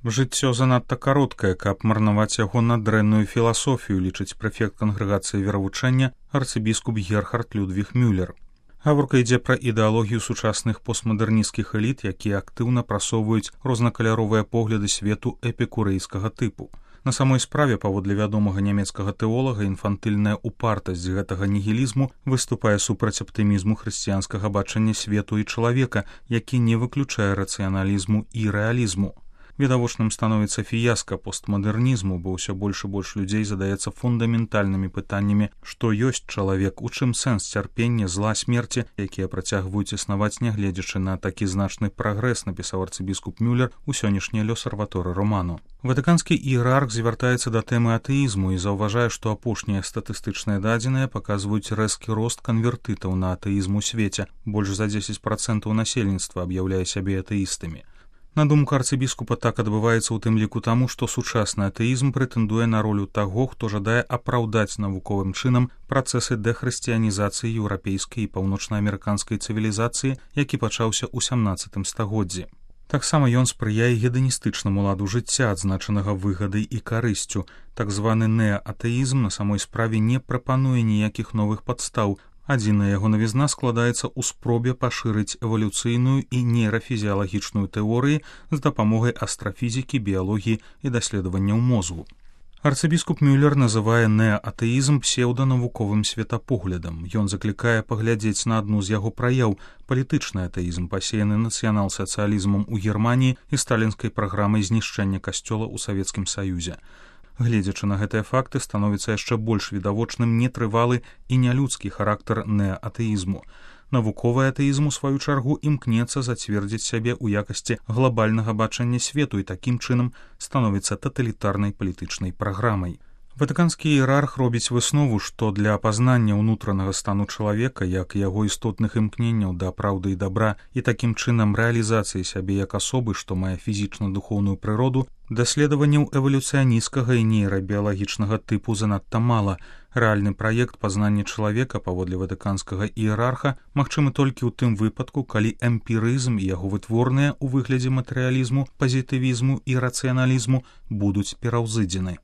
Жыццё занадта кароткае, каб марнаваць яго на дрэнную філасофію, лічыць прэфект кангрэгацыі веравучэння арцыбіскуп Герхард Людвіг Мюллер. Гаворка ідзе пра ідэалогію сучасных постмадэрнісцкіх эліт, якія актыўна прасоўваюць рознакаляровыя погляды свету эпікурэйскага тыпу. На самой справе, паводле вядомага нямецкага тэолага, інфантыльная упартасць гэтага нігілізму выступае супраць аптымізму хрысціянскага бачання свету і чалавека, які не выключае рацыяналізму і рэалізму. Відавочным становіцца фіяска постмадэрнізму, бо ўсё больш і больш людзей задаецца фундаментальнымі пытаннямі, што ёсць чалавек, у чым сэнс цярпення, зла, смерці, якія працягваюць існаваць, нягледзячы на такі значны прагрэс, напісаў арцыбіскуп Мюллер у сённяшняй L'Osservatore Romano. Ватыканскі іерарх звяртаецца да тэмы атэізму і заўважае, што апошнія статыстычныя дадзеныя паказваюць рэзкі рост канвертытаў на атэізм у свеце. Больш за 10% насельніцтва аб'яўляе сябе атэістамі. На думку арцыбіскупа, так адбываецца ў тым ліку таму, што сучасны атэізм прэтэндуе на ролю таго, хто жадае апраўдаць навуковым чынам працэсы дэхрысціянізацыі еўрапейскай і паўночнаамерыканскай цывілізацыі, які пачаўся ў 17 стагоддзі. Таксама ён спрыяе геданістычнаму ладу жыцця, адзначанага выгадай і карысцю. Так званы неатэізм на самой справе не прапануе ніякіх новых падстаў. Адзіная яго навізна складаецца ў спробе пашырыць эвалюцыйную і нейрафізіялагічную тэорыі з дапамогай астрафізікі, біялогіі і даследаванняў мозгу. Арцыбіскуп Мюллер называе неатэізм псеўданавуковым светапоглядам. Ён заклікае паглядзець на адну з яго праяў – палітычны атэізм, пасеяны нацыянал-сацыялізмам у Германіі і сталінскай праграмай знішчэння касцёла ў Савецкім Саюзе. Гледзячы на гэтыя факты, становіцца яшчэ больш відавочным нетрывалы і нялюдскі характар неатэізму. Навуковы атэізм, у сваю чаргу, імкнецца зацвердзіць сябе ў якасці глобальнага бачання свету і такім чынам становіцца таталітарнай палітычнай праграмай. Ватыканскі іерарх робіць выснову, што для апазнання ўнутранага стану чалавека, як яго істотных імкненняў да праўды і дабра і такім чынам рэалізацыі сябе як асобы, што мае фізічна-духоўную прыроду, даследаванняў эвалюцыянісцкага і нейрабіялагічнага тыпу занадта мала. Рэальны праект пазнання чалавека, паводле ватыканскага іерарха, магчымы толькі ў тым выпадку, калі эмпірызм і яго вытворныя ў выглядзе матэрыялізму, пазітывізму і рацыяналізму будуць пераўзыдзены.